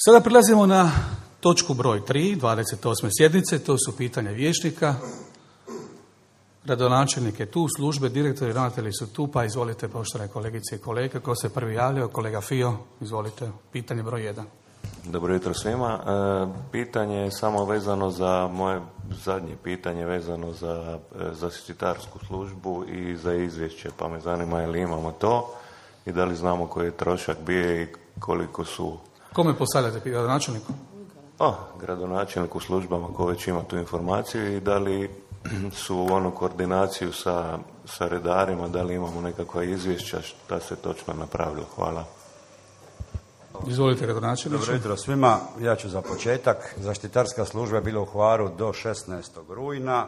Sada prelazimo na točku broj 3, 28. sjednice, to su pitanja vijećnika. Gradonačelnik je tu, službe, direktori, ravnatelji su tu, pa izvolite, poštovane kolegice i kolege. Ko se prvi javljao? Kolega Fio, izvolite, pitanje broj 1. Dobro jutro svima. Pitanje je samo vezano za moje zadnje pitanje, vezano za zaštitarsku službu i za izvješće, pa me zanima je li imamo to i da li znamo koji je trošak bio i koliko su... Kome postavljate, gradonačelniku? Gradonačelnik u službama ko već ima tu informaciju i da li su u koordinaciju sa redarima, da li imamo nekakva izvješća šta se točno napravilo. Hvala. Izvolite, gradonačelniče. Dobro jutro svima. Ja ću za početak. Zaštitarska služba je bila u Hvaru do 16. rujna.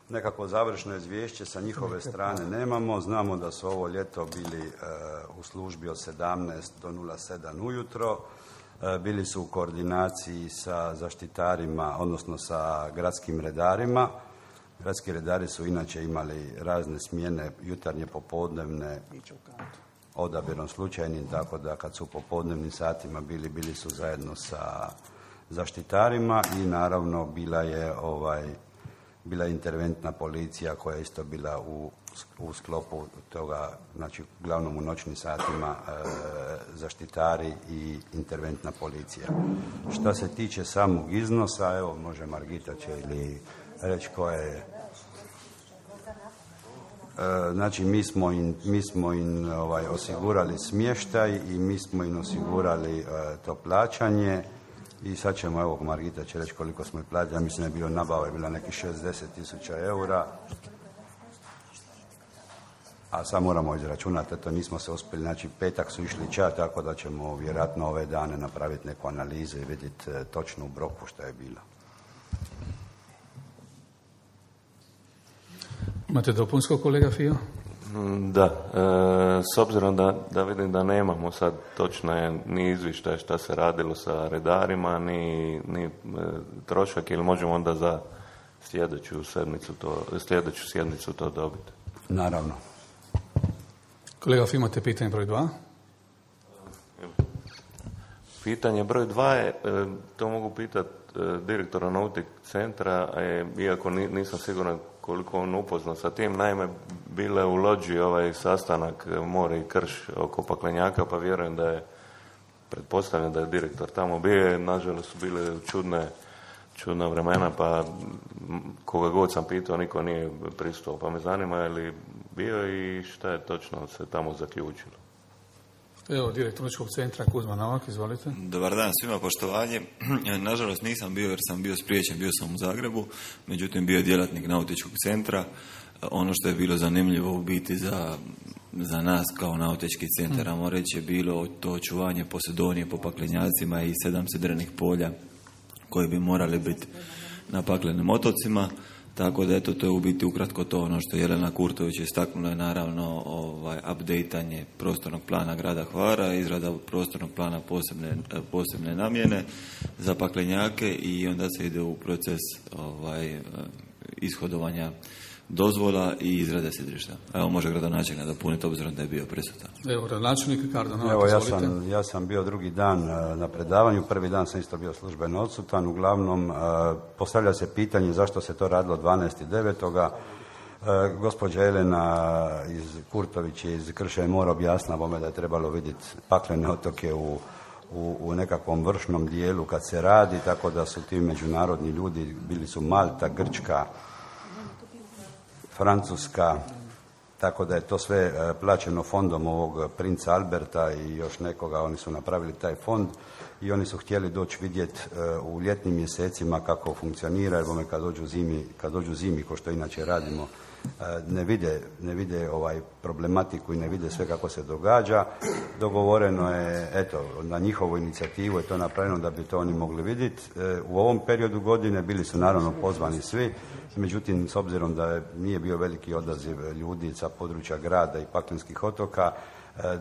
Nekako završno izvješće sa njihove strane nemamo. Znamo da su ovo ljeto bili u službi od 17 do 07 ujutro. Bili su u koordinaciji sa zaštitarima, odnosno sa gradskim redarima. Gradski redari su inače imali razne smjene, jutarnje, popodnevne, odabirom slučajnim, tako da kad su u popodnevnim satima bili su zajedno sa zaštitarima i naravno bila je interventna policija koja je isto bila u sklopu toga, znači uglavnom u noćnim satima zaštitari i interventna policija. Što se tiče samog iznosa, evo može Margita će ili reći koja je. Znači mi smo im osigurali smještaj i mi smo im osigurali to plaćanje i sad ćemo, evo Margita će reći koliko smo im platili, ja mislim da je bilo nabava, je bila nekih 60.000 eura, a sad moramo izračunati, eto nismo se uspjeli, znači petak su išli ča, tako da ćemo vjerojatno ove dane napraviti neku analizu i vidjeti točno u broku što je bilo. Imate dopunsko, kolega Fio? Da, s obzirom da vidim da nemamo sad točno ni izvještaj šta se radilo sa redarima, ni trošak, ili možemo onda za sljedeću sjednicu to dobiti? Naravno. Kolega Fio, imate pitanje broj 2? Pitanje broj 2 je, to mogu pitati direktora Nautik centra, iako nisam siguran koliko on upoznat sa tim. Naime, bile u Lođi ovaj sastanak More i Krš oko Paklenjaka, pa vjerujem pretpostavljam da je direktor tamo bio. Nažalost su bile čudna vremena, pa koga god sam pitao, niko nije pristao. Pa me zanima je li bio i šta je točno se tamo zaključilo. Evo, direktor Nautičkog centra Kuzma Novak, izvolite. Dobar dan svima, poštovanje. Nažalost nisam bio jer sam bio spriječen, bio sam u Zagrebu, međutim bio je djelatnik Nautičkog centra. Ono što je bilo zanimljivo u biti za nas kao Nautički centar, ajmo reći, je bilo to očuvanje Posedonije po paklenjacima i 7 sidrenih polja koji bi morali biti na paklenim otocima. Tako da eto, to je u biti ukratko to. Ono što Jelena Kurtović istaknula je naravno updateanje prostornog plana grada Hvara, izrada prostornog plana posebne namjene za paklenjake i onda se ide u proces ishodovanja dozvola i izrade sidrišta. Evo može gradonačelnik dopuniti obzirom da je bio prisutan. Evo gradonačelnik Kardona. Evo ja sam bio drugi dan na predavanju, prvi dan sam isto bio službeno odsutan. Uglavnom postavlja se pitanje zašto se to radilo 12.9. Gospođa Jelena Kurtović iz Krša i Mora objasnila bome da je trebalo vidjeti paklene otoke u nekakvom vršnom dijelu kad se radi, tako da su ti međunarodni ljudi, bili su Malta, Grčka, Francuska, tako da je to sve plaćeno fondom ovog princa Alberta i još nekoga. Oni su napravili taj fond i oni su htjeli doći vidjeti u ljetnim mjesecima kako funkcionira, jer kad dođu zimi, ko što inače radimo, ne vide problematiku i ne vide sve kako se događa. Dogovoreno je, eto, na njihovu inicijativu je to napravljeno da bi to oni mogli vidjeti. U ovom periodu godine bili su naravno pozvani svi, međutim, s obzirom da nije bio veliki odaziv ljudi sa područja grada i paklenskih otoka,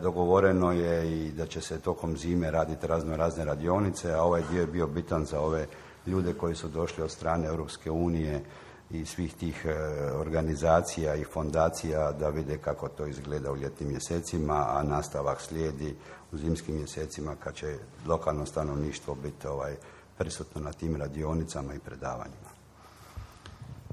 dogovoreno je i da će se tokom zime raditi razne radionice, a ovaj dio je bio bitan za ove ljude koji su došli od strane Europske unije i svih tih organizacija i fondacija da vide kako to izgleda u ljetnim mjesecima, a nastavak slijedi u zimskim mjesecima kad će lokalno stanovništvo biti prisutno na tim radionicama i predavanjima.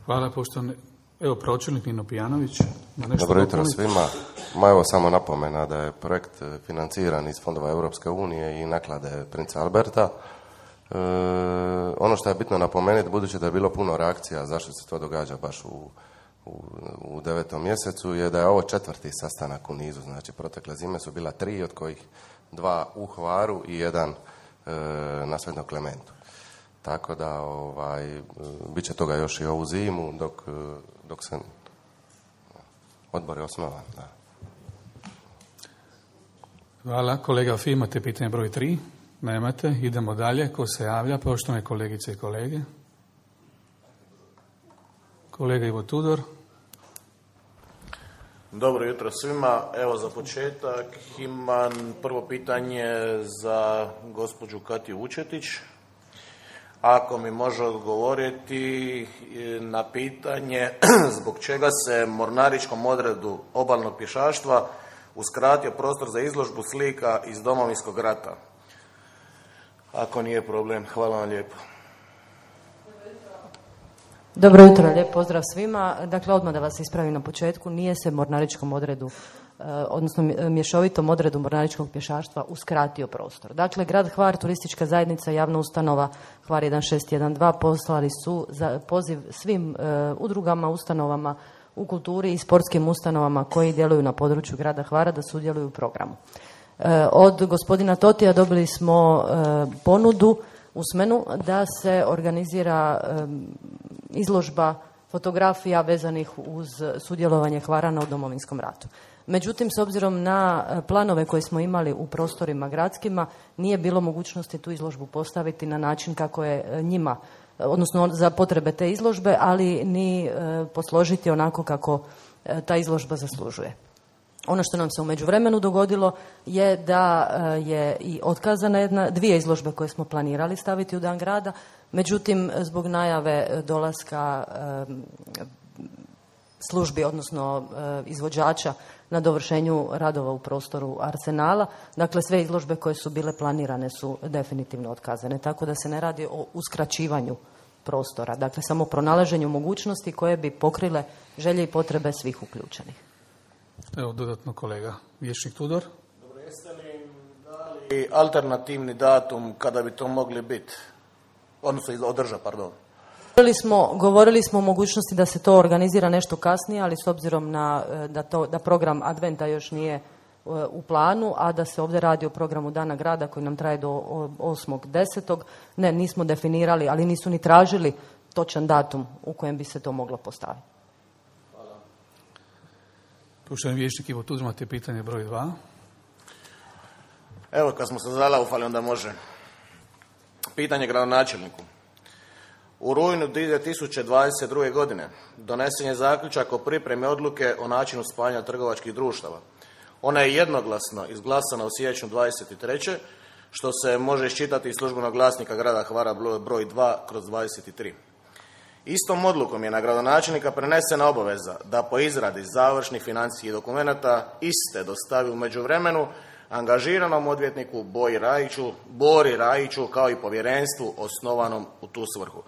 Hvala, poštovani. Evo, pročelnik Nino Pijanović. Dobro jutro svima. Evo samo napomena da je projekt financiran iz fondova Europske unije i naklade Princa Alberta. Ono što je bitno napomenuti, budući da je bilo puno reakcija zašto se to događa baš u 9. mjesecu, je da je ovo 4. sastanak u nizu. Znači, protekle zime su bila 3, od kojih 2 u Hvaru i 1 na Svetom Klementu. Tako da bit će toga još i ovu zimu dok se odbor je osnovan. Da. Hvala. Kolega Fi, imate pitanje broj 3? Nemate. Idemo dalje. Ko se javlja? Poštovane kolegice i kolege. Kolega Ivo Tudor. Dobro jutro svima. Evo za početak imam prvo pitanje za gospođu Katiju Vučetić. Ako mi može odgovoriti na pitanje zbog čega se mornaričkom odredu obalnog pješaštva uskratio prostor za izložbu slika iz Domovinskog rata. Ako nije problem, hvala vam lijepo. Dobro jutro, lijep pozdrav svima. Dakle, odmah da vas ispravim na početku, nije se mornaričkom odredu, odnosno mješovitom odredu mornaričkog pješaštva uskratio prostor. Dakle, grad Hvar, turistička zajednica, javna ustanova Hvar 1612 poslali su za poziv svim udrugama, ustanovama u kulturi i sportskim ustanovama koji djeluju na području grada Hvara da sudjeluju u programu. Od gospodina Totija dobili smo ponudu usmenu da se organizira izložba fotografija vezanih uz sudjelovanje Hvarana u Domovinskom ratu. Međutim, s obzirom na planove koje smo imali u prostorima gradskima, nije bilo mogućnosti tu izložbu postaviti na način kako je njima, odnosno za potrebe te izložbe, ali ni posložiti onako kako ta izložba zaslužuje. Ono što nam se u međuvremenu dogodilo je da je i otkazana 2 izložbe koje smo planirali staviti u dan grada, međutim zbog najave dolaska službi, odnosno izvođača na dovršenju radova u prostoru Arsenala, dakle sve izložbe koje su bile planirane su definitivno otkazane, tako da se ne radi o uskraćivanju prostora, dakle samo pronalaženju mogućnosti koje bi pokrile želje i potrebe svih uključenih. Evo dodatno kolega Vječnik Tudor. Dobro, jeste li dali alternativni datum kada bi to mogli biti? Odnosno održati, pardon. Govorili smo o mogućnosti da se to organizira nešto kasnije, ali s obzirom na da program Adventa još nije u planu, a da se ovdje radi o programu Dana grada koji nam traje do 8.10. Nismo definirali, ali nisu ni tražili točan datum u kojem bi se to moglo postaviti. Poštovani Vječnik Ivo Tudor, imate pitanje broj 2. Evo, kad smo se zalaufali, onda može. Pitanje gradonačelniku. U rujnu 2022. godine donesen je zaključak o pripremi odluke o načinu spajanja trgovačkih društava. Ona je jednoglasno izglasana u siječnju 23. što se može iščitati iz službenog glasnika grada Hvara broj 2/23. Istom odlukom je na gradonačelnika prenesena obaveza da po izradi završnih financijskih dokumenata iste dostavi u međuvremenu angažiranom odvjetniku Bori Rajiću kao i povjerenstvu osnovanom u tu svrhu.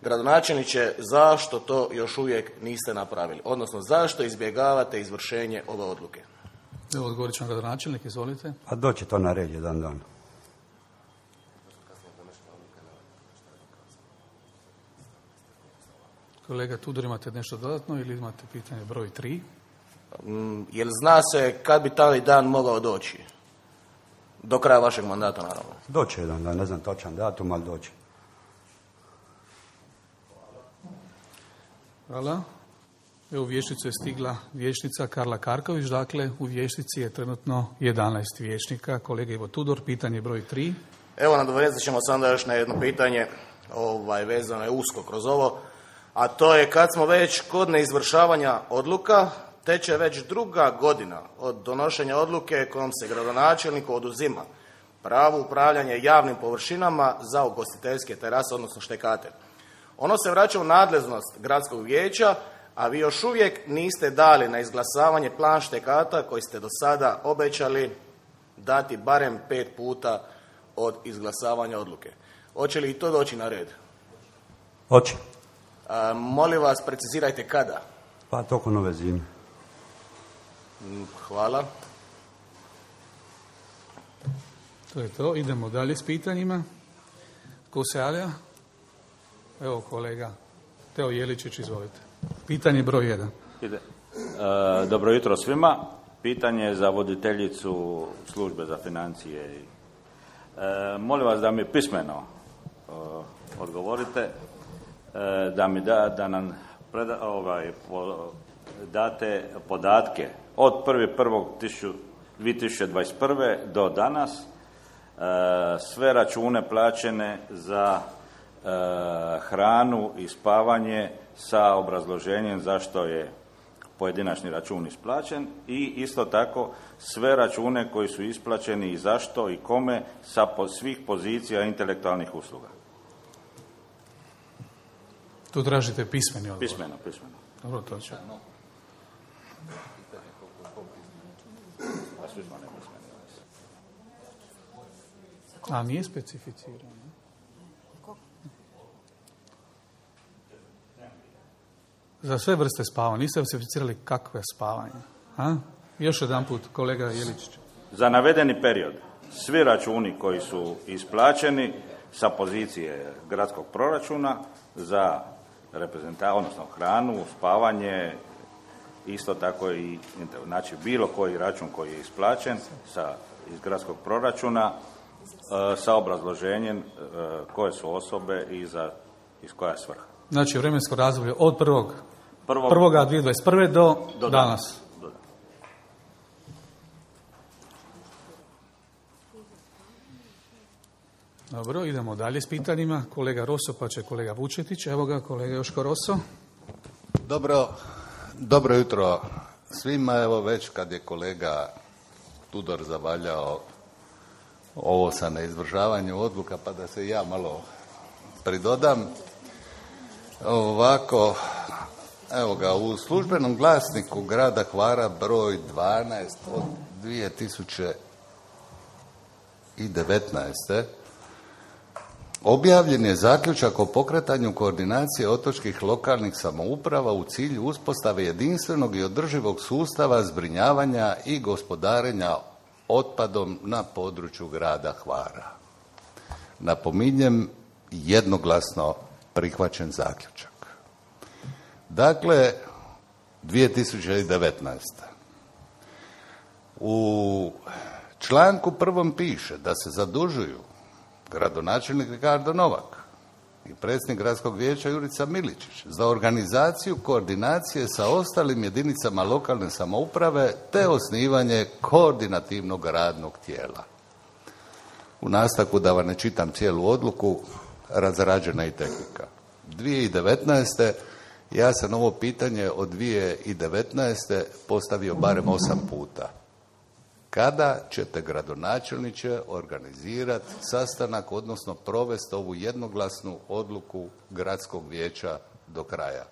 Gradonačelniče, zašto to još uvijek niste napravili? Odnosno, zašto izbjegavate izvršenje ove odluke? Evo, odgovorit će vam gradonačelnik, izvolite. A doći to na red jedan dan. Kolega Tudor, imate nešto dodatno ili imate pitanje broj 3? Jel zna se kad bi taj dan mogao doći? Do kraja vašeg mandata, naravno. Doći jedan dan, ne znam točan datum, ali doći. Hvala. Evo, u vijećnicu je stigla vijećnica Karla Karković, dakle u vijećnici je trenutno 11 vijećnika. Kolega Ivo Tudor, pitanje broj 3. Evo, nadovezat ćemo sada još na jedno pitanje, vezano je usko kroz ovo, a to je kad smo već kod neizvršavanja odluka, teče već 2. godina od donošenja odluke kojom se gradonačelniku oduzima pravo upravljanja javnim površinama za ugostiteljske terase, odnosno štekate. Ono se vraća u nadležnost gradskog vijeća, a vi još uvijek niste dali na izglasavanje plan štekata koji ste do sada obećali dati barem 5 puta od izglasavanja odluke. Hoće li i to doći na red? Hoće. Molim vas, precizirajte kada. Pa toliko nove zime. Hvala. To je to. Idemo dalje s pitanjima. Ko se javlja? Evo kolega Teo Jeličić, izvolite. Pitanje broj 1. Dobro jutro svima. Pitanje za voditeljicu službe za financije. Molim vas da mi pismeno odgovorite, da nam date podatke od 1.1.2021. do danas, sve račune plaćene za hranu i spavanje sa obrazloženjem zašto je pojedinačni račun isplaćen i isto tako sve račune koji su isplaćeni i zašto i kome sa svih pozicija intelektualnih usluga. Tu tražite pismeni odgovor. Pismeno. Dobro, to će. A nije specificirano. Za sve vrste spavanja. Niste specificirali kakve spavanje. Još jedan put, kolega Jeličić. Za navedeni period, svi računi koji su isplaćeni sa pozicije gradskog proračuna za odnosno hranu, spavanje, isto tako i znači bilo koji račun koji je isplaćen iz gradskog proračuna sa obrazloženjem koje su osobe i iz koja je svrha. Znači vremensko razdoblje od 1.1.2021. do danas. Dobro, idemo dalje s pitanjima. Kolega Roso, pa će kolega Vučetić. Evo ga, kolega Joško Roso. Dobro jutro svima. Evo već kad je kolega Tudor zavaljao ovo sa neizvršavanju odluka, pa da se i ja malo pridodam. Ovako, evo ga, u službenom glasniku grada Hvara broj 12 od 2019. objavljen je zaključak o pokretanju koordinacije otočkih lokalnih samouprava u cilju uspostave jedinstvenog i održivog sustava zbrinjavanja i gospodarenja otpadom na području grada Hvara. Napominjem, jednoglasno prihvaćen zaključak. Dakle, 2019. U članku 1. piše da se zadužuju gradonačelnik Ricardo Novak i predsjednik gradskog vijeća Jurica Miličić za organizaciju koordinacije sa ostalim jedinicama lokalne samouprave te osnivanje koordinativnog radnog tijela. U nastavku, da vam ne čitam cijelu odluku, razrađena i tehnika. 2019. ja sam ovo pitanje od 2019. postavio barem 8 puta. Kada ćete, gradonačelniče, organizirati sastanak, odnosno provesti ovu jednoglasnu odluku gradskog vijeća do kraja?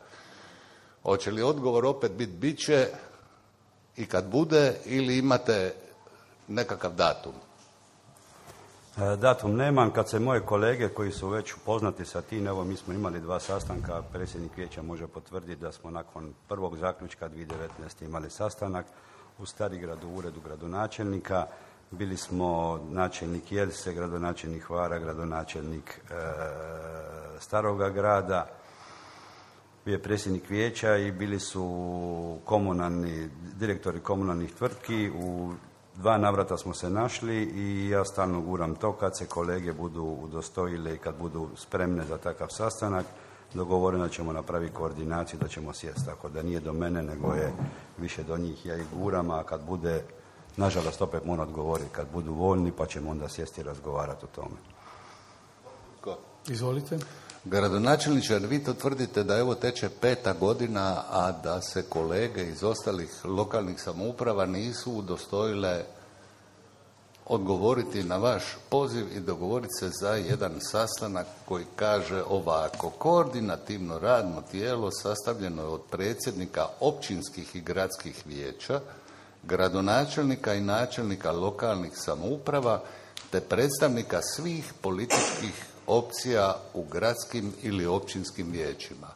Hoće li odgovor opet biti bit će i kad bude, ili imate nekakav datum? Datum nemam. Kad se moje kolege koji su već upoznati sa tim, evo mi smo imali 2 sastanka, predsjednik vijeća može potvrditi da smo nakon prvog zaključka 2019. imali sastanak u Starigradu u uredu gradonačelnika. Bili smo načelnik Jelse, gradonačelnik Hvara, gradonačelnik Staroga grada, bio je predsjednik vijeća i bili su direktori komunalnih tvrtki. U 2 navrata smo se našli i ja stalno guram to kad se kolege budu udostojile i kad budu spremne za takav sastanak, dogovoreno ćemo napraviti koordinaciju da ćemo sjesti. Tako da nije do mene, nego je više do njih. Ja ih guram, a kad bude, nažalost opet moram odgovoriti, kad budu voljni pa ćemo onda sjesti i razgovarati o tome. Izvolite. Gradonačelniče, vi to tvrdite da evo teče 5. godina, a da se kolege iz ostalih lokalnih samouprava nisu udostojile odgovoriti na vaš poziv i dogovoriti se za jedan sastanak koji kaže ovako: koordinativno radno tijelo sastavljeno je od predsjednika općinskih i gradskih vijeća, gradonačelnika i načelnika lokalnih samouprava te predstavnika svih političkih opcija u gradskim ili općinskim vijećima.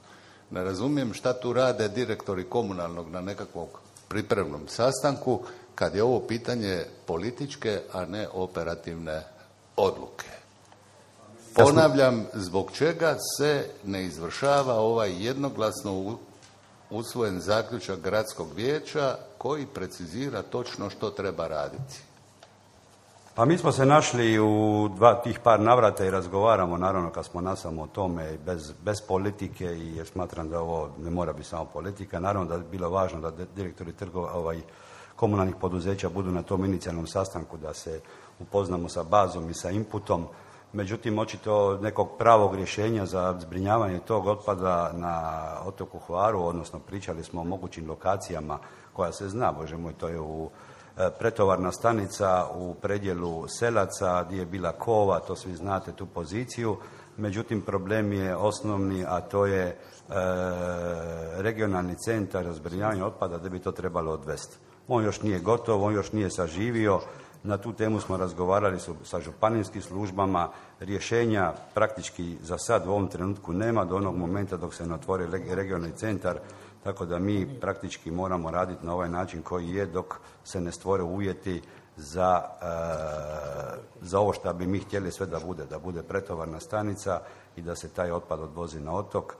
Ne razumijem šta tu rade direktori komunalnog na nekakvom pripremnom sastanku kad je ovo pitanje političke, a ne operativne odluke. Ponavljam, zbog čega se ne izvršava ovaj jednoglasno usvojen zaključak gradskog vijeća koji precizira točno što treba raditi? Pa mi smo se našli u tih par navrata i razgovaramo, naravno kad smo nasamo o tome bez politike, i jer smatram da ovo ne mora biti samo politika. Naravno da je bilo važno da direktori komunalnih poduzeća budu na tom inicijalnom sastanku, da se upoznamo sa bazom i sa inputom. Međutim, očito nekog pravog rješenja za zbrinjavanje tog otpada na otoku Hvaru, odnosno pričali smo o mogućim lokacijama koja se zna, Bože moj, to je u pretovarna stanica u predjelu Selaca gdje je bila kova, to svi znate tu poziciju. Međutim, problem je osnovni, a to je regionalni centar za zbrinjavanje otpada da bi to trebalo odvesti. On još nije gotov, on još nije saživio. Na tu temu smo razgovarali sa županijskim službama. Rješenja praktički za sad u ovom trenutku nema do onog momenta dok se ne otvori regionalni centar, tako da mi praktički moramo raditi na ovaj način koji je dok se ne stvore uvjeti za ovo što bi mi htjeli sve da bude pretovarna stanica i da se taj otpad odvozi na otok.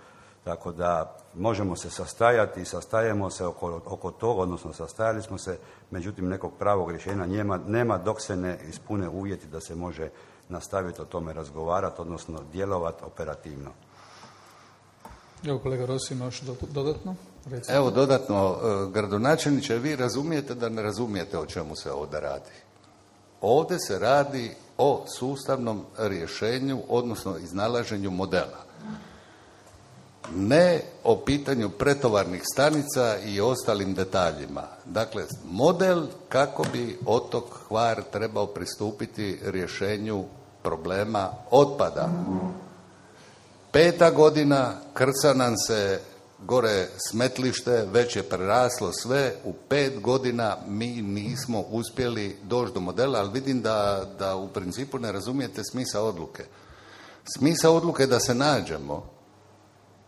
Tako da možemo se sastajati i sastajemo se oko toga, odnosno sastajali smo se, međutim nekog pravog rješenja nema dok se ne ispune uvjeti da se može nastaviti o tome razgovarati, odnosno djelovati operativno. Evo kolega Rossi, još dodatno? Recimo. Evo dodatno, gradonačelniče, vi razumijete da ne razumijete o čemu se ovdje radi. Ovdje se radi o sustavnom rješenju, odnosno iznalaženju modela. Ne o pitanju pretovarnih stanica i ostalim detaljima. Dakle, model kako bi otok Hvar trebao pristupiti rješenju problema otpada. 5. godina, krca nam se gore smetlište, već je preraslo sve. U 5 godina mi nismo uspjeli doći do modela, ali vidim da u principu ne razumijete smisao odluke. Smisao odluke je da se nađemo,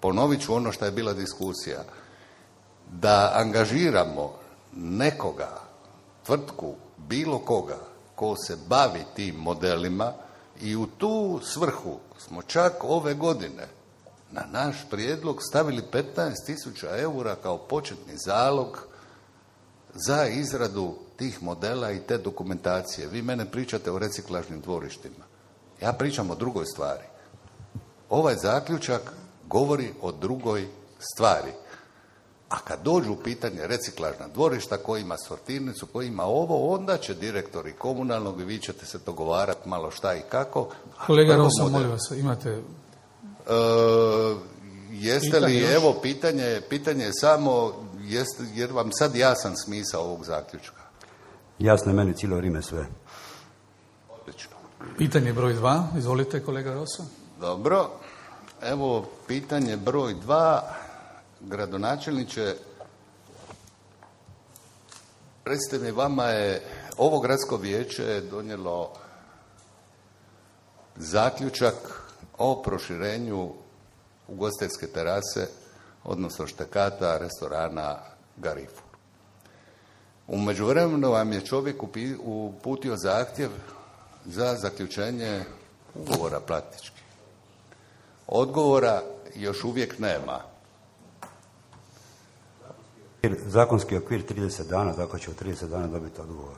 ponovit ću ono što je bila diskusija, da angažiramo nekoga, tvrtku, bilo koga, ko se bavi tim modelima, i u tu svrhu smo čak ove godine na naš prijedlog stavili 15.000 eura kao početni zalog za izradu tih modela i te dokumentacije. Vi mene pričate o reciklažnim dvorištima. Ja pričam o drugoj stvari. Ovaj zaključak govori o drugoj stvari. A kad dođu u pitanje reciklažna dvorišta, koji ima sortirnicu, koji ima ovo, onda će direktori komunalnog i vi ćete se dogovarati malo šta i kako. Kolega Rosa, molim vas, imate... Jeste li, evo, pitanje je samo, jer vam sad jasan smisao ovog zaključka? Jasno je meni cijelo vrijeme sve. Odlično. Pitanje broj 2, izvolite kolega Rosa. Dobro, evo pitanje broj 2, gradonačelniče, recite mi, vama je ovo gradsko vijeće donijelo zaključak o proširenju ugostiteljske terase, odnosno štekata restorana Garifur. U međuvremenu vam je čovjek uputio zahtjev za zaključenje ugovora praktički. Odgovora još uvijek nema. Zakonski okvir 30 dana, tako će u 30 dana dobiti odgovor.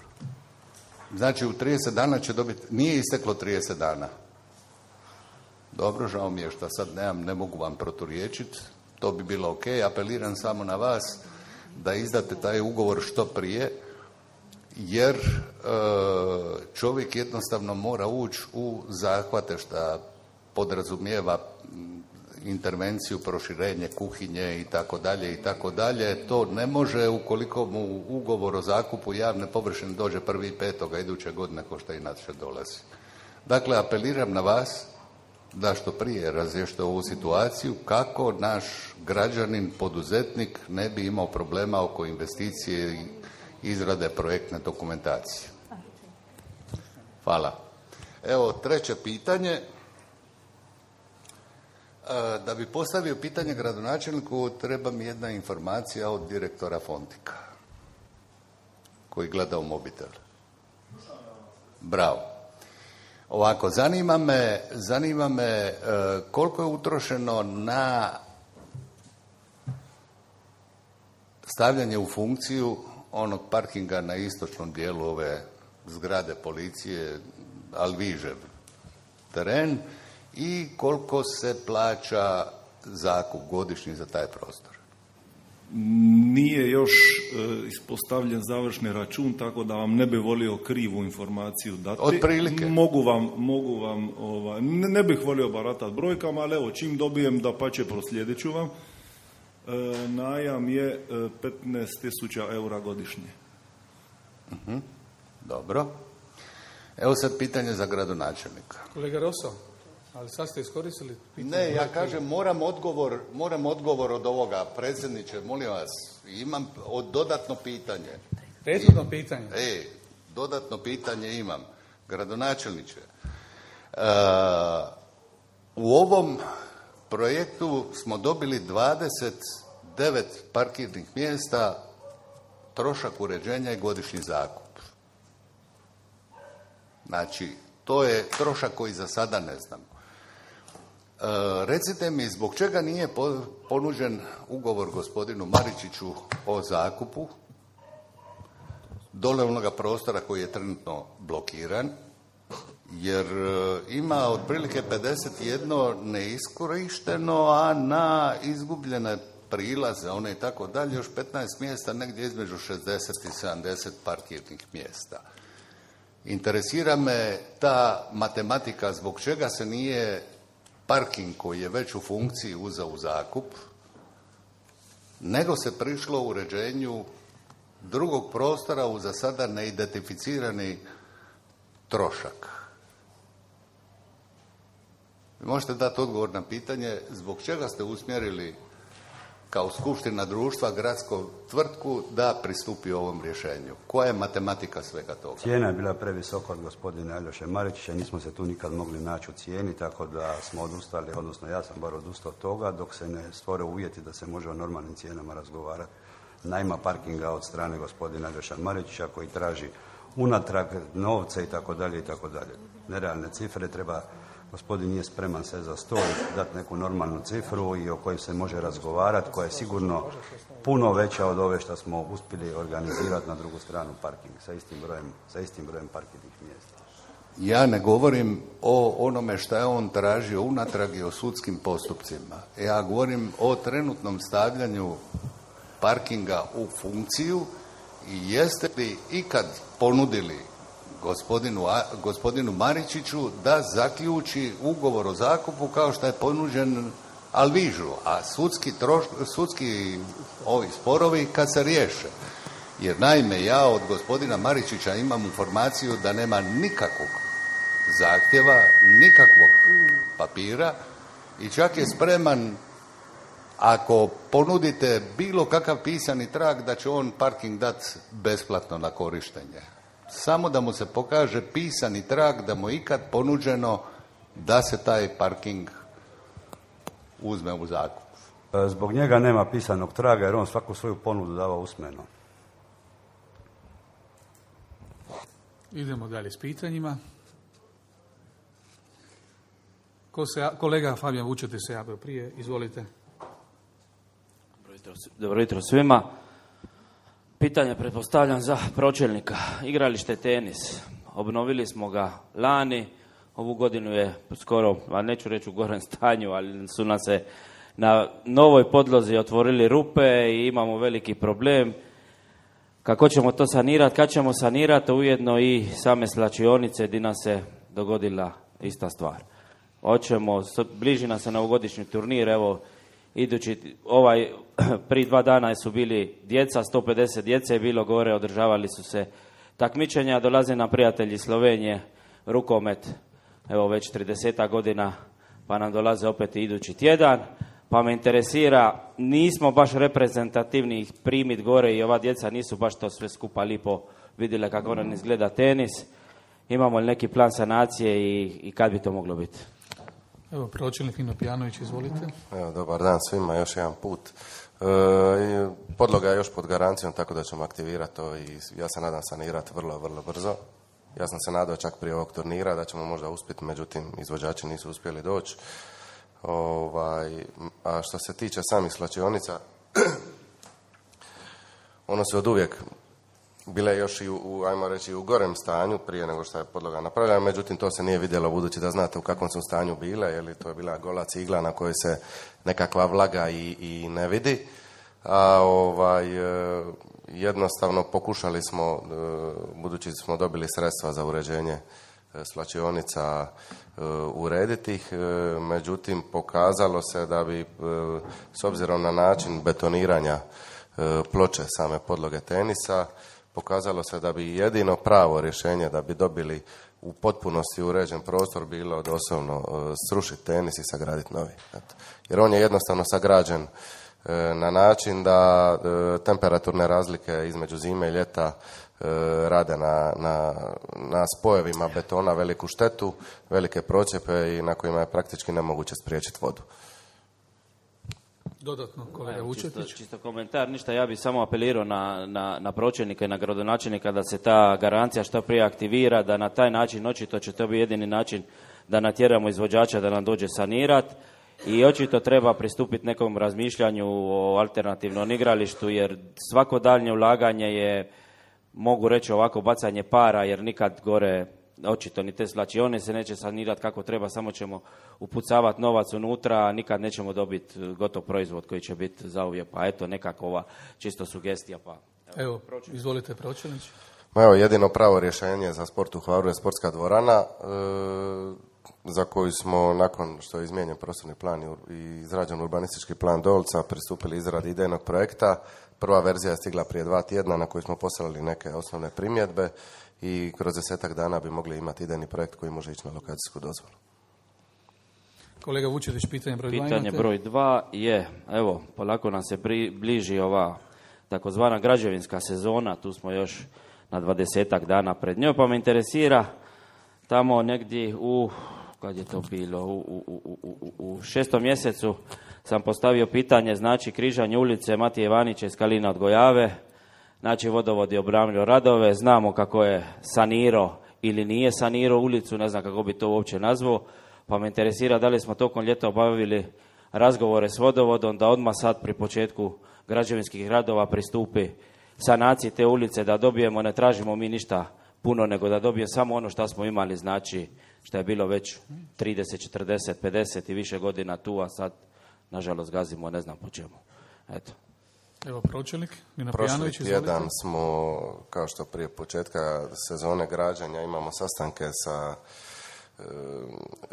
Znači u 30 dana će dobiti, nije isteklo 30 dana. Dobro, žao mi je što sad ne mogu vam proturječiti, to bi bilo ok, apeliram samo na vas da izdate taj ugovor što prije, jer čovjek jednostavno mora ući u zahvate što podrazumijeva intervenciju, proširenje kuhinje i tako dalje. To ne može ukoliko mu ugovor o zakupu javne površine dođe 1.5. iduće godine, ko što inače dolazi. Dakle, apeliram na vas da što prije razriješite ovu situaciju kako naš građanin, poduzetnik ne bi imao problema oko investicije i izrade projektne dokumentacije. Hvala. Evo, treće pitanje. Da bi postavio pitanje gradonačelniku, treba mi jedna informacija od direktora Fontika, koji gleda u mobitel. Bravo. Ovako, zanima me koliko je utrošeno na stavljanje u funkciju onog parkinga na istočnom dijelu ove zgrade policije, Alvižev teren, i koliko se plaća zakup godišnji za taj prostor? Nije još ispostavljen završni račun, tako da vam ne bi volio krivu informaciju dati. Otprilike. Mogu vam ne bih volio baratati brojkama, ali evo, čim dobijem, da pače proslijedit ću vam. Najam je 15.000 eura godišnje. Dobro. Evo sad pitanje za gradonačelnika. Kolega Roso, ali sad ste iskoristili pitanje. Ne, ja kažem, moram odgovor od ovoga. Predsjedniče, molim vas, imam dodatno pitanje. Prethodno pitanje? Dodatno pitanje imam. Gradonačelniče, u ovom projektu smo dobili 29 parkirnih mjesta, trošak uređenja i godišnji zakup. Znači, to je trošak koji za sada ne znam. Recite mi, zbog čega nije ponuđen ugovor gospodinu Maričiću o zakupu dole onoga prostora koji je trenutno blokiran, jer ima otprilike 51 neiskorišteno, a na izgubljene prilaze, one i tako dalje, još 15 mjesta, negdje između 60 i 70 parkirnih mjesta. Interesira me ta matematika, zbog čega se nije parking koji je već u funkciji uzeo u zakup, nego se prišlo u uređenju drugog prostora u za sada neidentificirani trošak. Možete dati odgovor na pitanje zbog čega ste usmjerili kao skupština društva gradsku tvrtku da pristupi ovom rješenju? Koja je matematika svega toga? Cijena je bila previsoka od gospodina Aljoše Maričića, nismo se tu nikad mogli naći u cijeni, tako da smo odustali, odnosno ja sam bar odustao od toga, dok se ne stvore uvjeti da se može o normalnim cijenama razgovarati. Najma parkinga od strane gospodina Aljoša Maričića koji traži unatrag novce i tako dalje i tako dalje. Nerealne cifre treba. Gospodin nije spreman se za stol dati neku normalnu cifru i o kojoj se može razgovarati, koja je sigurno puno veća od ove što smo uspjeli organizirati na drugu stranu parking sa istim brojem parkirnih mjesta. Ja ne govorim o onome što je on tražio unatrag i o sudskim postupcima. Ja govorim o trenutnom stavljanju parkinga u funkciju i jeste li ikad ponudili gospodinu Maričiću da zaključi ugovor o zakupu kao što je ponuđen Alvižu, a sudski ovi sporovi kad se riješe. Jer naime, ja od gospodina Maričića imam informaciju da nema nikakvog zahtjeva, nikakvog papira i čak je spreman, ako ponudite bilo kakav pisani trag, da će on parking dati besplatno na korištenje. Samo da mu se pokaže pisani trag da mu je ikad ponuđeno da se taj parking uzme u zakup. Zbog njega nema pisanog traga jer on svaku svoju ponudu dava usmeno. Idemo dalje s pitanjima. Kolega Fabijan Vučete se javio prije, izvolite. Dobro jutro svima. Pitanje pretpostavljam za pročelnika. Igralište tenis. Obnovili smo ga lani. Ovu godinu je skoro, a neću reći u gorem stanju, ali su nam se na novoj podlozi otvorili rupe i imamo veliki problem. Kako ćemo to sanirati? Kad ćemo sanirati? Ujedno i same slačionice gdje nam se dogodila ista stvar. bliži nam se novogodišnji turnir, evo, idući, prije 2 dana su bili djeca, 150 djece je bilo gore, održavali su se takmičenja, dolaze nam prijatelji Slovenije, rukomet, evo već 30 godina, pa nam dolaze opet idući tjedan, pa me interesira, nismo baš reprezentativni ih primit gore i ova djeca nisu baš to sve skupa lipo vidjela kako nam izgleda tenis. Imamo li neki plan sanacije i kad bi to moglo biti? Evo, pročelnik Nino Pijanović, izvolite. Evo, dobar dan svima, još jedan put. Podloga je još pod garancijom, tako da ćemo aktivirati to i ja se nadam sanirati vrlo, vrlo brzo. Ja sam se nadao čak prije ovog turnira da ćemo možda uspjeti, međutim izvođači nisu uspjeli doći. A što se tiče samih slačionica, ono se od uvijek bile još i ajmo reći, u gorem stanju prije nego što je podloga napravljena, međutim to se nije vidjelo budući da znate u kakvom su stanju bile, jer to je bila gola cigla na kojoj se nekakva vlaga i ne vidi. Jednostavno pokušali smo, budući smo dobili sredstva za uređenje slačionica, urediti ih, međutim pokazalo se da bi s obzirom na način betoniranja ploče same podloge tenisa, pokazalo se da bi jedino pravo rješenje da bi dobili u potpunosti uređen prostor bilo doslovno srušiti tenis i sagraditi novi. Jer on je jednostavno sagrađen na način da temperaturne razlike između zime i ljeta rade na spojevima betona veliku štetu, velike procjepe i na kojima je praktički nemoguće spriječiti vodu. Dodatno, kolega Vučetić. Čisto komentar, ništa, ja bih samo apelirao na pročelnika i na gradonačelnika da se ta garancija što prije aktivira, da na taj način, očito će to biti jedini način da natjeramo izvođača da nam dođe sanirat i očito treba pristupiti nekom razmišljanju o alternativnom igralištu, jer svako daljnje ulaganje je, mogu reći ovako, bacanje para, jer nikad gore očito ni te slačione se neće sanirati kako treba, samo ćemo upucavati novac unutra, a nikad nećemo dobiti gotov proizvod koji će biti zauvijek. Pa eto, nekakva čisto sugestija. Pa evo izvolite pročelnić. Evo, jedino pravo rješenje za sport u Hvaru je sportska dvorana, za koju smo, nakon što je izmijenjen prostorni plan i izrađen urbanistički plan Dolca, pristupili izradi idejnog projekta. Prva verzija je stigla prije 2 tjedna na koju smo poslali neke osnovne primjedbe i kroz 10-ak dana bi mogli imati idejni projekt koji može ići na lokacijsku dozvolu. Kolega Vučetić, pitanje broj 2 Pitanje broj 2 je, evo, polako nam se bliži ova takozvana građevinska sezona, tu smo još na 20-ak dana pred njoj, pa me interesira tamo negdje kad je to bilo, u 6. mjesecu sam postavio pitanje, znači križanje ulice Matije Ivanića iz Kalina od Gojave, znači vodovod je obnavljao radove, znamo kako je sanirao ili nije sanirao ulicu, ne znam kako bi to uopće nazvao, pa me interesira da li smo tokom ljeta obavili razgovore s vodovodom da odmah sad pri početku građevinskih radova pristupi sanaciji te ulice, da dobijemo, ne tražimo mi ništa puno, nego da dobije samo ono što smo imali, znači što je bilo već 30, 40, 50 i više godina tu, a sad nažalost gazimo, ne znam po čemu. Eto. Evo pročelnik, Nino Pijanović, izvolite. Prošli tjedan smo, kao što prije početka sezone građenja, imamo sastanke sa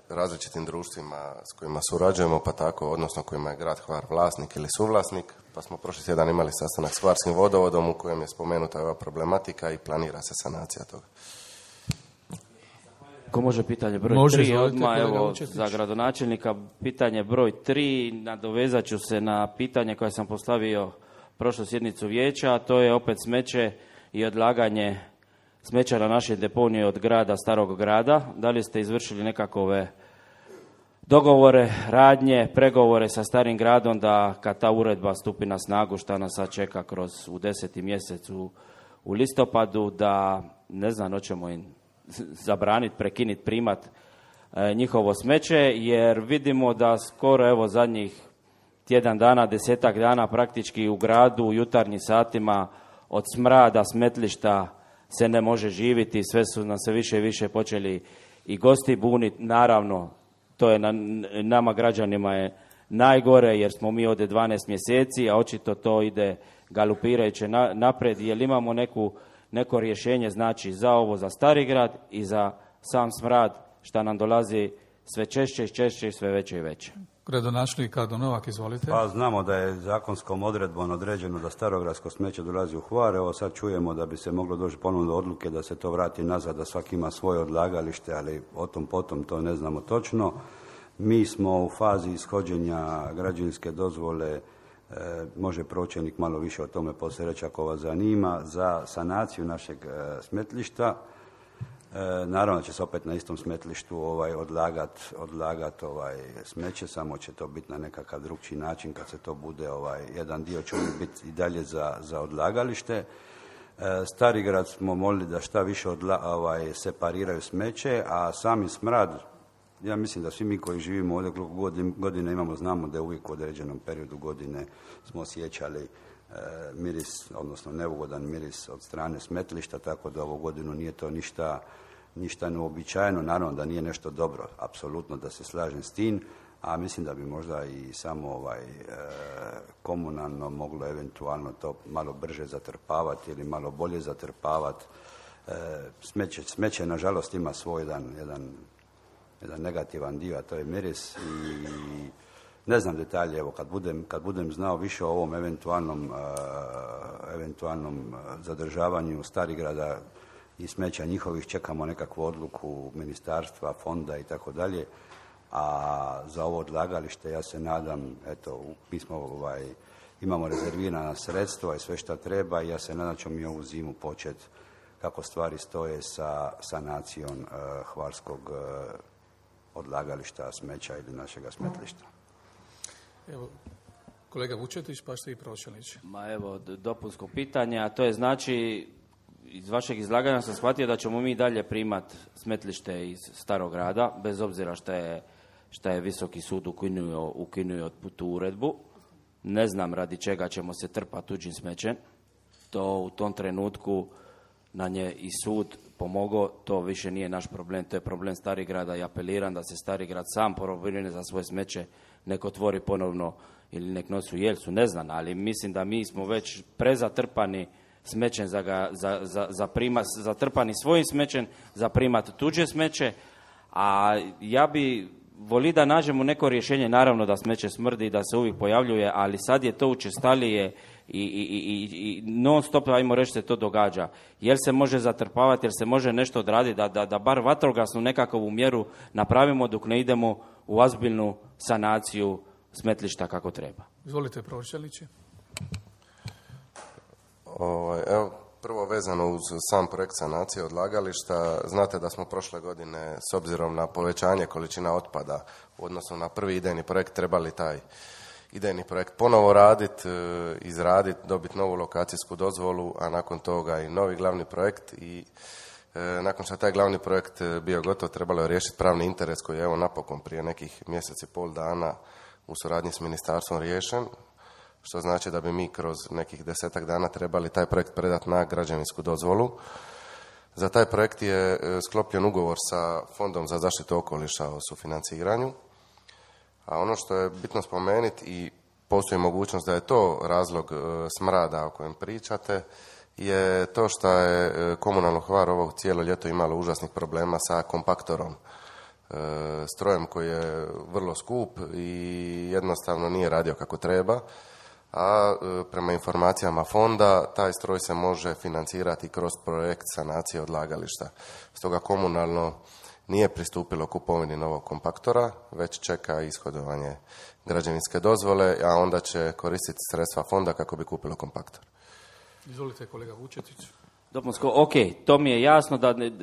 različitim društvima s kojima surađujemo, pa tako, odnosno kojima je grad Hvar vlasnik ili suvlasnik, pa smo prošli tjedan imali sastanak s Hvarskim vodovodom u kojem je spomenuta ova problematika i planira se sanacija toga. Ko može pitanje broj 3 odmah, evo, za gradonačelnika, pitanje broj 3, nadovezat ću se na pitanje koje sam postavio prošlu sjednicu vijeća, a to je opet smeće i odlaganje smeća na našoj deponiji od grada, Starog grada. Da li ste izvršili nekakove dogovore, radnje, pregovore sa Starim gradom da kad ta uredba stupi na snagu, šta nas sad čeka u 10. mjesecu u listopadu, da, ne znam, hoćemo im zabraniti, prekinuti, primat njihovo smeće, jer vidimo da skoro, evo, zadnjih tjedan dana, 10-ak dana praktički u gradu, u jutarnjim satima od smrada, smetlišta se ne može živjeti, sve su nam se više i više počeli i gosti buniti. Naravno, to je nama građanima je najgore, jer smo mi ovdje 12 mjeseci, a očito to ide galopirajuće napred, jer imamo neko rješenje, znači za ovo, za Stari grad i za sam smrad šta nam dolazi sve češće i češće i sve veće i veće. Gradonačelnik Rado Novak, izvolite. Pa znamo da je zakonskom odredbom određeno da starogradsko smeće dolazi u Hvar. Evo sad čujemo da bi se moglo doći ponovno do odluke da se to vrati nazad, da svaki ima svoje odlagalište, ali o tom potom to ne znamo točno. Mi smo u fazi ishođenja građevinske dozvole, može pročelnik malo više o tome poslije reći ako vas zanima, za sanaciju našeg smetlišta. Naravno će se opet na istom smetlištu odlagat smeće, samo će to biti na nekakav drugčiji način kad se to bude, jedan dio će biti i dalje za odlagalište. Starigrad smo molili da šta više separiraju smeće, a sami smrad, ja mislim da svi mi koji živimo ovdje godine imamo, znamo da je uvijek u određenom periodu godine smo osjećali miris, odnosno neugodan miris od strane smetlišta, tako da ovu godinu nije to ništa neuobičajeno. Naravno da nije nešto dobro, apsolutno da se slažem s tim, a mislim da bi možda i samo komunalno moglo eventualno to malo brže zatrpavati ili malo bolje zatrpavati. Smeće nažalost ima svoj jedan negativan dio, a to je miris i ne znam detalje, evo kad budem znao više o ovom eventualnom zadržavanju Starigrada i smeća njihovih, čekamo nekakvu odluku ministarstva, fonda i tako dalje, a za ovo odlagalište ja se nadam, eto, mi smo imamo rezervirana sredstva i sve što treba i ja se nadam ćemo mi ovu zimu početi kako stvari stoje sa sanacijom hvarskog odlagališta smeća ili našega smetlišta. Evo, kolega Vučetić, pa ste i pročelnici. Ma evo, dopunsko pitanje, a to je znači, iz vašeg izlaganja sam shvatio da ćemo mi dalje primat smetlište iz Starog grada, bez obzira šta je Visoki sud ukinuo tu uredbu. Ne znam radi čega ćemo se trpati tuđim smećem. To u tom trenutku nam je i sud pomogao, to više nije naš problem, to je problem Starigrada i apeliram da se Starigrad sam pobrine za svoje smeće, nek otvori ponovno ili nek nosi u Jelsu, ne znam, ali mislim da mi smo već prezatrpani smećem zatrpani svojim smećem za primat tuđe smeće, a ja bi voli da nađemo neko rješenje, naravno da smeće smrdi i da se uvijek pojavljuje, ali sad je to učestalije i non stop, ajmo reći, se to događa. Jel se može zatrpavati, jel se može nešto odraditi, da bar vatrogasnu nekakvu mjeru napravimo dok ne idemo u ozbiljnu sanaciju smetlišta kako treba. Izvolite, pročelniče. Evo, prvo vezano uz sam projekt sanacije odlagališta, znate da smo prošle godine, s obzirom na povećanje količina otpada u odnosu na prvi idejni projekt, trebali taj idejni projekt ponovo raditi, izraditi, dobiti novu lokacijsku dozvolu, a nakon toga i novi glavni projekt i nakon što je taj glavni projekt bio gotov, trebalo je riješiti pravni interes koji je evo napokon prije nekih mjesec i pol dana u suradnji s ministarstvom riješen, što znači da bi mi kroz nekih 10 dana trebali taj projekt predati na građevinsku dozvolu. Za taj projekt je sklopljen ugovor sa Fondom za zaštitu okoliša o sufinanciranju, a ono što je bitno spomenuti i postoji mogućnost da je to razlog smrada o kojem pričate, je to što je komunalno Hvar ovo cijelo ljeto imalo užasnih problema sa kompaktorom, strojem koji je vrlo skup i jednostavno nije radio kako treba, a prema informacijama fonda taj stroj se može financirati kroz projekt sanacije odlagališta. Stoga komunalno nije pristupilo kupovini novog kompaktora, već čeka ishodovanje građevinske dozvole, a onda će koristiti sredstva fonda kako bi kupilo kompaktor. Izvolite, kolega Vučetić. Dopunsko, ok, to mi je jasno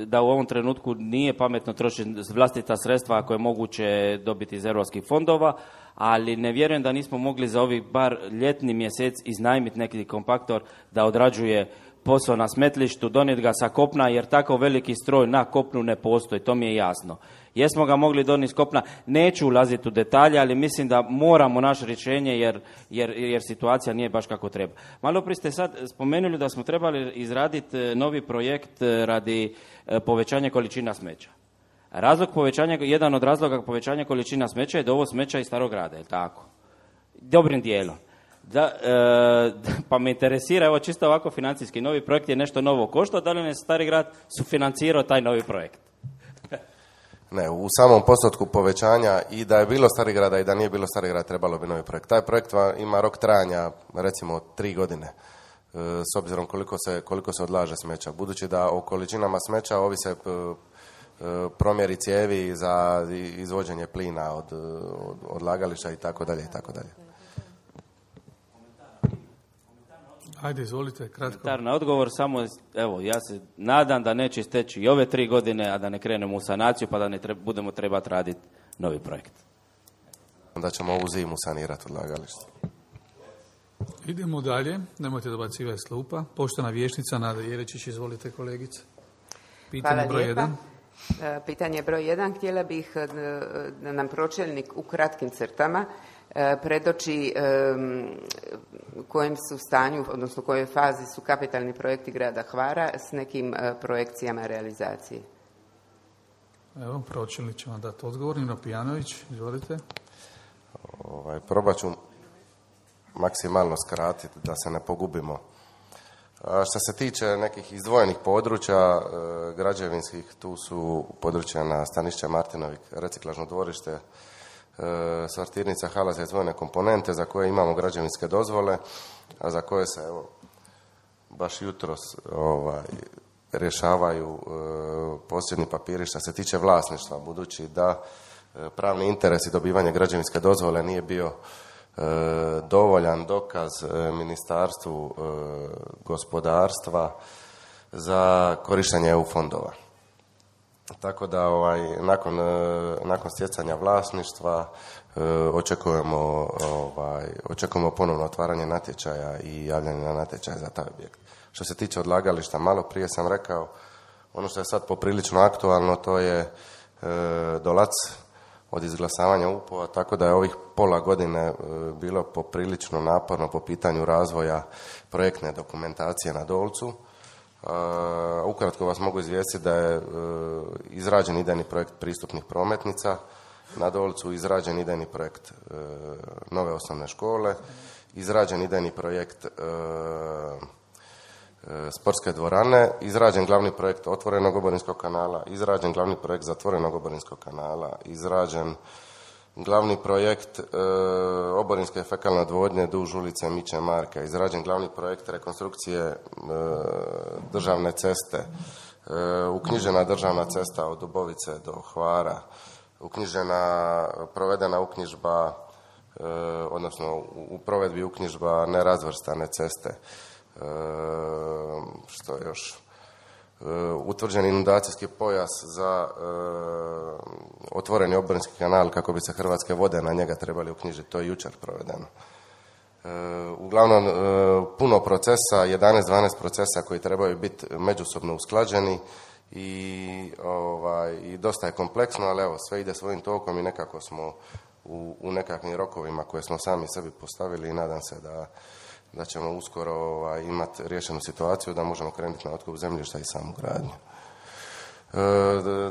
da u ovom trenutku nije pametno trošiti vlastita sredstva ako je moguće dobiti iz europskih fondova, ali ne vjerujem da nismo mogli za ovih bar ljetni mjesec iznajmiti neki kompaktor da odrađuje posao na smetlištu, donijeti ga sa kopna, jer tako veliki stroj na kopnu ne postoji, to mi je jasno. Jesmo ga mogli donijeti s kopna, neću ulaziti u detalje, ali mislim da moramo naše rješenje jer situacija nije baš kako treba. Malo prije ste sad spomenuli da smo trebali izraditi novi projekt radi povećanja količina smeća. Jedan od razloga povećanja količina smeća je dovoz smeća iz Starog grada, je li tako? Dobrim dijelom. Pa me interesira, evo čisto ovako financijski, novi projekt je nešto novo koštao, da li ne Stari grad sufinancirao taj novi projekt? Ne, u samom postotku povećanja i da je bilo Starigrada i da nije bilo Starigrada trebalo bi novi projekt. Taj projekt ima rok trajanja recimo 3 godine s obzirom koliko se odlaže smeća. Budući da o količinama smeća ovise promjeri cijevi za izvođenje plina od odlagališta i tako dalje i tako dalje. Ajde, izvolite, kratko. Na odgovor samo, evo, ja se nadam da neće isteći i ove 3 godine, a da ne krenemo u sanaciju, pa da ne budemo trebati raditi novi projekt. Da ćemo ovu zimu sanirati odlagalište. Idemo dalje, nemojte dobacivati s klupa. Poštovana vijećnica Nada Jeličić, izvolite kolegice. Pitanje broj 1. Pitanje broj 1. Htjela bih da nam pročelnik u kratkim crtama predoči kojem su stanju, odnosno u kojoj fazi su kapitalni projekti grada Hvara s nekim projekcijama realizacije. Evo, pročelnik će vam dati odgovor. Nino Pijanović, izvolite. Probat ću maksimalno skratiti da se ne pogubimo. Što se tiče nekih izdvojenih područja građevinskih, tu su područja na Stanišće Martinovik, reciklažno dvorište, sortirnica, hala za izdvojene komponente za koje imamo građevinske dozvole, a za koje se evo baš jutros rješavaju posljednji papiri što se tiče vlasništva, budući da pravni interes i dobivanje građevinske dozvole nije bio dovoljan dokaz Ministarstvu gospodarstva za korištenje EU fondova. Tako da nakon stjecanja vlasništva očekujemo ponovno otvaranje natječaja i javljanje na natječaj za taj objekt. Što se tiče odlagališta, malo prije sam rekao, ono što je sad poprilično aktualno, to je Dolac od izglasavanja UPO-a, tako da je ovih pola godine bilo poprilično naporno po pitanju razvoja projektne dokumentacije na Dolcu. Ukratko vas mogu izvijestiti da je izrađen idejni projekt pristupnih prometnica na Dolcu, izrađen idejni projekt nove osnovne škole, izrađen idejni projekt sportske dvorane, izrađen glavni projekt otvorenog oborinskog kanala, izrađen glavni projekt zatvorenog oborinskog kanala, izrađen glavni projekt oborinske fekalne odvodnje duž ulice Miće Marka, izrađen glavni projekt rekonstrukcije državne ceste, uknjižena državna cesta od Dubovice do Hvara, provedena uknjižba, odnosno u provedbi uknjižba nerazvrstane ceste. Što još? Utvrđen inundacijski pojas za otvoreni oborinski kanal kako bi se Hrvatske vode na njega trebali uknjižiti. To je jučer provedeno. Uglavnom, puno procesa, 11-12 procesa koji trebaju biti međusobno usklađeni i dosta je kompleksno, ali evo, sve ide svojim tokom i nekako smo u nekakvim rokovima koje smo sami sebi postavili i nadam se da ćemo uskoro imati riješenu situaciju da možemo krenuti na otkup zemljišta i samu gradnju.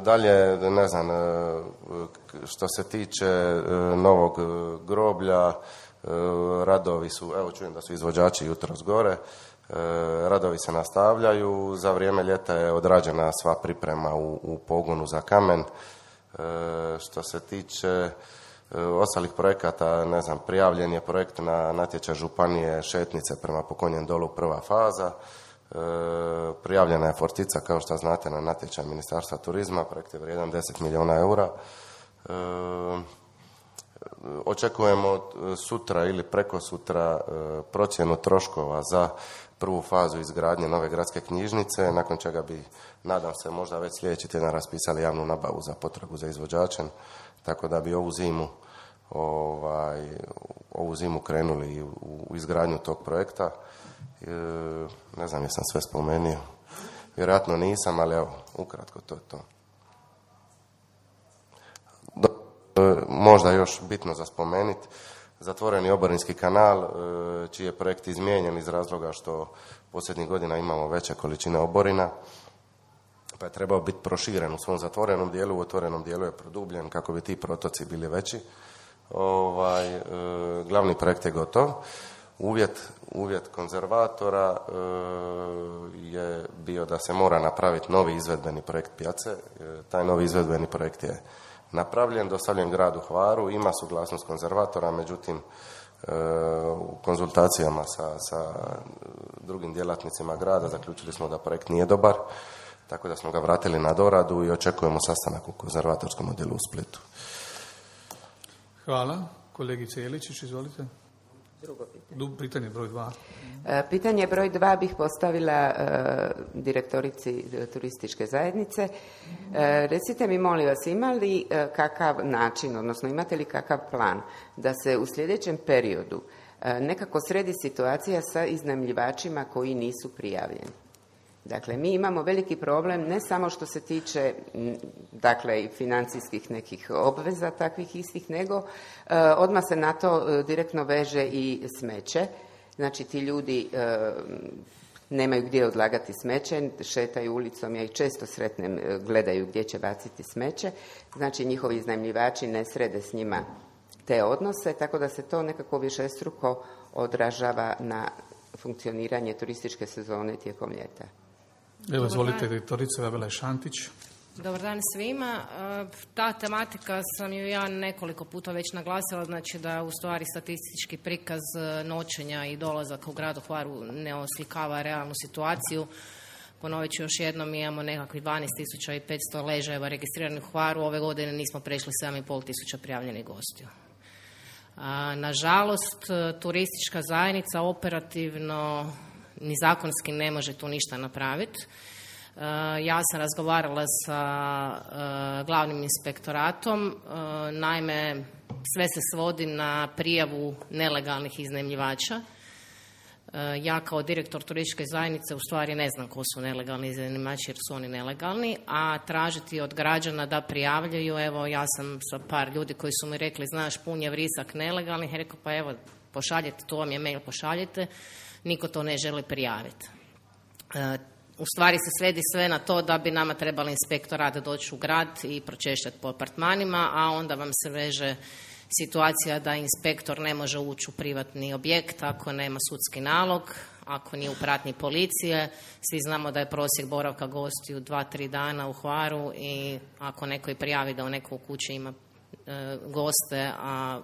Dalje, ne znam, što se tiče novog groblja, radovi su, evo čujem da su izvođači jutros gore, radovi se nastavljaju, za vrijeme ljeta je odrađena sva priprema u pogonu za kamen. Što se tiče ostalih projekata, ne znam, prijavljen je projekt na natječaj županije Šetnice prema Pokonjem dolu prva faza, prijavljena je Fortica, kao što znate, na natječaj Ministarstva turizma, projekt je vrijedan 10 milijuna eura. Očekujemo sutra ili preko sutra procjenu troškova za prvu fazu izgradnje nove gradske knjižnice, nakon čega bi, nadam se, možda već sljedeći tjedan raspisali javnu nabavu za potragu za izvođačem, tako da bi ovu zimu krenuli u izgradnju tog projekta. Ne znam jesam sve spomenuo. Vjerojatno nisam, ali evo, ukratko to je to. Možda još bitno za spomenuti, zatvoreni oborinski kanal, čiji je projekt izmijenjen iz razloga što posljednjih godina imamo veće količine oborina, pa je trebao biti proširen u svom zatvorenom dijelu, u otvorenom dijelu je produbljen kako bi ti protoci bili veći. Glavni projekt je gotov. Uvjet konzervatora je bio da se mora napraviti novi izvedbeni projekt pijace. Taj novi izvedbeni projekt je napravljen, dostavljen gradu Hvaru, ima suglasnost konzervatora, međutim u konzultacijama sa drugim djelatnicima grada zaključili smo da projekt nije dobar, tako da smo ga vratili na doradu i očekujemo sastanak u konzervatorskom odjelu u Splitu. Hvala. Kolegice Jeličić, izvolite. Drugo pitanje. Pitanje broj 2. Pitanje broj 2 bih postavila direktorici turističke zajednice. Recite mi, molim vas, ima li kakav način, odnosno imate li kakav plan da se u sljedećem periodu nekako sredi situacija sa iznajmljivačima koji nisu prijavljeni? Dakle, mi imamo veliki problem ne samo što se tiče dakle i financijskih nekih obveza takvih istih, nego odmah se na to direktno veže i smeće. Znači, ti ljudi nemaju gdje odlagati smeće, šetaju ulicom, ja ih često sretnem, gledaju gdje će baciti smeće. Znači, njihovi iznajmljivači ne srede s njima te odnose, tako da se to nekako višestruko odražava na funkcioniranje turističke sezone tijekom ljeta. Evo, izvolite, direktorica Gabela Šantić. Dobar dan svima. Ta tematika sam ju ja nekoliko puta već naglasila, znači da u stvari statistički prikaz noćenja i dolazaka u gradu Hvaru ne oslikava realnu situaciju. Ponovit ću još jednom, mi imamo nekakvih 12.500 ležajeva registriranih u Hvaru, ove godine nismo prešli 7.500 prijavljenih gostiju. Nažalost, turistička zajednica operativno ni zakonski ne može tu ništa napraviti. Ja sam razgovarala sa glavnim inspektoratom, naime sve se svodi na prijavu nelegalnih iznajmljivača. Ja kao direktor turističke zajednice u stvari ne znam ko su nelegalni iznajmljivači jer su oni nelegalni, a tražiti od građana da prijavljaju, evo ja sam sa par ljudi koji su mi rekli znaš pun je vrisak nelegalnih, rekao pa evo pošaljite, to vam je mail, pošaljite, niko to ne želi prijaviti. U stvari se svedi sve na to da bi nama trebali inspektorat doći u grad i pročešljati po apartmanima, a onda vam se veže situacija da inspektor ne može ući u privatni objekt ako nema sudski nalog, ako nije u pratnji policije. Svi znamo da je prosjek boravka gostiju 2-3 dana u Hvaru i ako neko i prijavi da u nekoj kući ima goste, a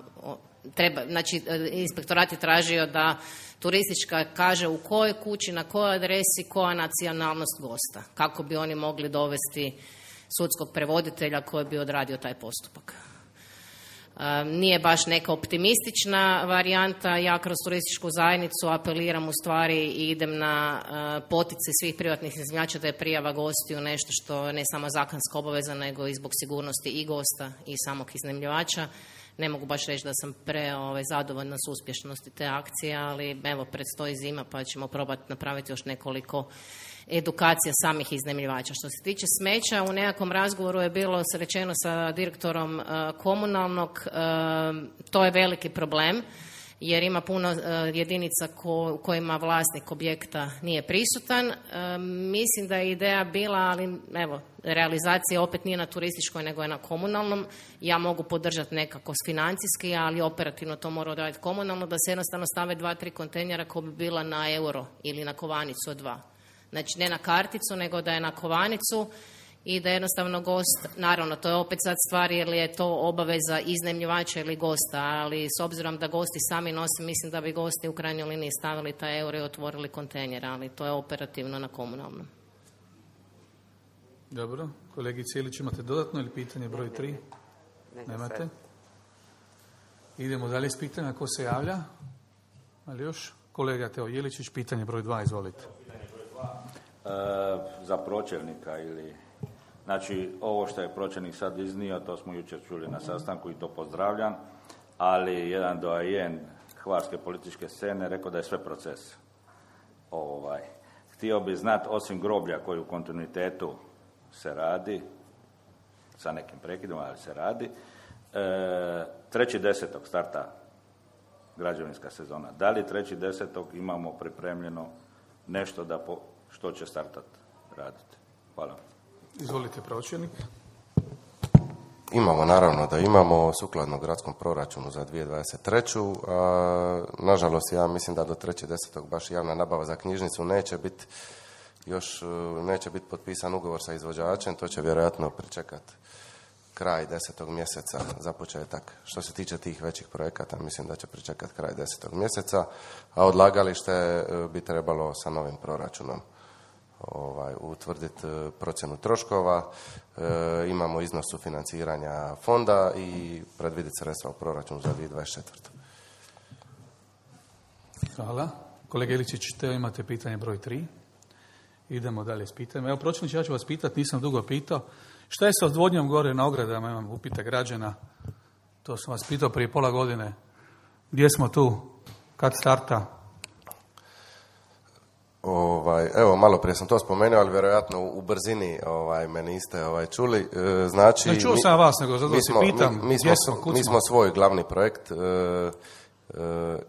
treba, znači inspektorat je tražio da turistička kaže u kojoj kući, na kojoj adresi, koja nacionalnost gosta, kako bi oni mogli dovesti sudskog prevoditelja koji bi odradio taj postupak. Nije baš neka optimistična varijanta, ja kroz turističku zajednicu apeliram u stvari i idem na poticaj svih privatnih iznajmljivača da je prijava gostiju nešto što ne samo zakonska obaveza nego i zbog sigurnosti i gosta i samog iznajmljivača. Ne mogu baš reći da sam zadovoljna s uspješnosti te akcije, ali evo predstoji zima pa ćemo probati napraviti još nekoliko edukacija samih iznajmljivača. Što se tiče smeća, u nekakvom razgovoru je bilo rečeno sa direktorom komunalnog, to je veliki problem jer ima puno jedinica u kojima vlasnik objekta nije prisutan. Mislim da je ideja bila, ali evo, realizacija opet nije na turističkoj nego je na komunalnom. Ja mogu podržati nekako financijski, ali operativno to mora odraditi komunalno, da se jednostavno stave 2-3 kontejnera koji bi bila na euro ili na kovanicu od 2. Znači ne na karticu, nego da je na kovanicu i da jednostavno gost, naravno to je opet sad stvar jer je to obaveza iznajmljivača ili gosta, ali s obzirom da gosti sami nose, mislim da bi gosti u krajnjoj liniji stavili taj euro i otvorili kontejner, ali to je operativno na komunalnom. Dobro. Kolegice Ilić, imate dodatno ili pitanje broj 3? Nemate? Idemo dalje s pitanja. Ko se javlja? Ali još? Kolega Teo Jeličić, pitanje broj 2, izvolite. Za pročelnika ili... Znači, ovo što je pročelnik sad iznio, to smo jučer čuli na sastanku i to pozdravljam, ali jedan doajen hvarske političke scene rekao da je sve proces. Htio bi znati, osim groblja koji u kontinuitetu se radi, sa nekim prekidima, ali se radi, 3.10. starta građevinska sezona. Da li 3.10. imamo pripremljeno nešto što će startati raditi? Hvala. Izvolite, pročelnik. Imamo, naravno da imamo, sukladno gradskom proračunu za 2023. Nažalost, ja mislim da do 3.10. baš javna nabava za knjižnicu neće biti potpisan ugovor sa izvođačem, to će vjerojatno pričekati kraj 10. mjeseca za početak. Što se tiče tih većih projekata, mislim da će pričekati kraj 10. mjeseca, a odlagalište bi trebalo sa novim proračunom utvrditi procjenu troškova, imamo iznos sufinanciranja fonda i predvidjeti sredstva u proračunu za 2024. Hvala. Kolega Iličić, te imate pitanje broj 3. Idemo dalje s pitanjem. Evo, pročelniče, ja ću vas pitati, nisam dugo pitao. Šta je sa odvodnjom gore na ogradama? Imam upite građana. To sam vas pitao prije pola godine. Gdje smo tu? Kad starta? Evo, malo prije sam to spomenuo, ali vjerojatno u brzini me niste čuli. Znači, ne čuo sam vas, nego zato si pitam. Mi smo svoj glavni projekt,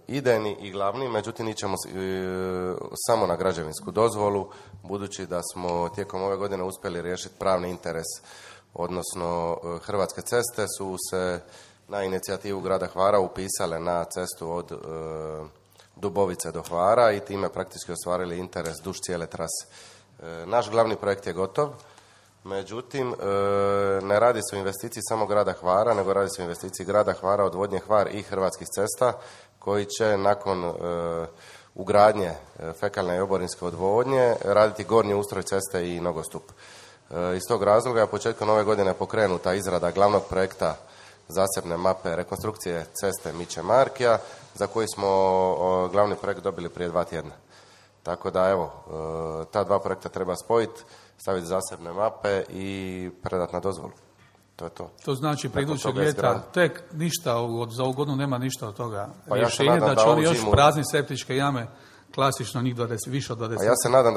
idejni i glavni, međutim ićemo samo na građevinsku dozvolu, budući da smo tijekom ove godine uspjeli riješiti pravni interes, odnosno Hrvatske ceste su se na inicijativu grada Hvara upisale na cestu od Dubovice do Hvara i time praktički ostvarili interes duž cijele trase. Naš glavni projekt je gotov, međutim ne radi se o investiciji samo grada Hvara, nego radi se o investiciji grada Hvara, odvodnje Hvar i Hrvatskih cesta, koji će nakon ugradnje fekalne i oborinske odvodnje raditi gornji ustroj ceste i nogostup. Iz tog razloga je početkom ove godine pokrenuta izrada glavnog projekta zasebne mape rekonstrukcije ceste Miće Markija, za koji smo glavni projekt dobili prije 2 tjedna. Tako da, evo, ta 2 projekta treba spojiti, staviti zasebne mape i predati na dozvolu. To je to. To znači, pre idućeg ljeta tek ništa, za ovu godinu nema ništa od toga. Pa rješenje ja da će oni još prazni septičke jame, klasično njih više od 20. Pa ja se nadam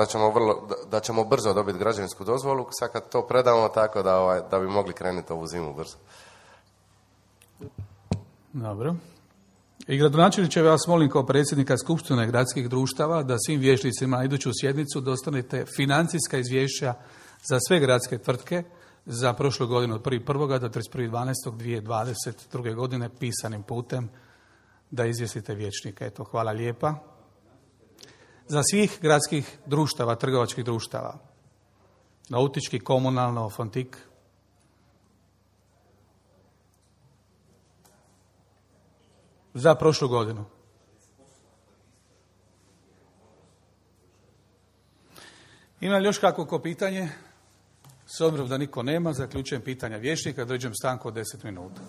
da ćemo brzo dobiti građevinsku dozvolu, sad kad to predamo, tako da bi mogli krenuti ovu zimu brzo. Dobro. I gradonačelniče, vas molim kao predsjednika Skupštine gradskih društava da svim vijećnicima na iduću sjednicu dostanete financijska izvješća za sve gradske tvrtke za prošlu godinu od 1.1. do 31.12.2022. godine pisanim putem da izvijestite vijećnika. Eto, hvala lijepa. Za svih gradskih društava, trgovačkih društava, nautički, komunalno, Fontik, za prošlu godinu. Ima li još kakvo pitanje? S obzirom da niko nema, zaključujem pitanja vijećnika, određujem stanku od 10 minuta.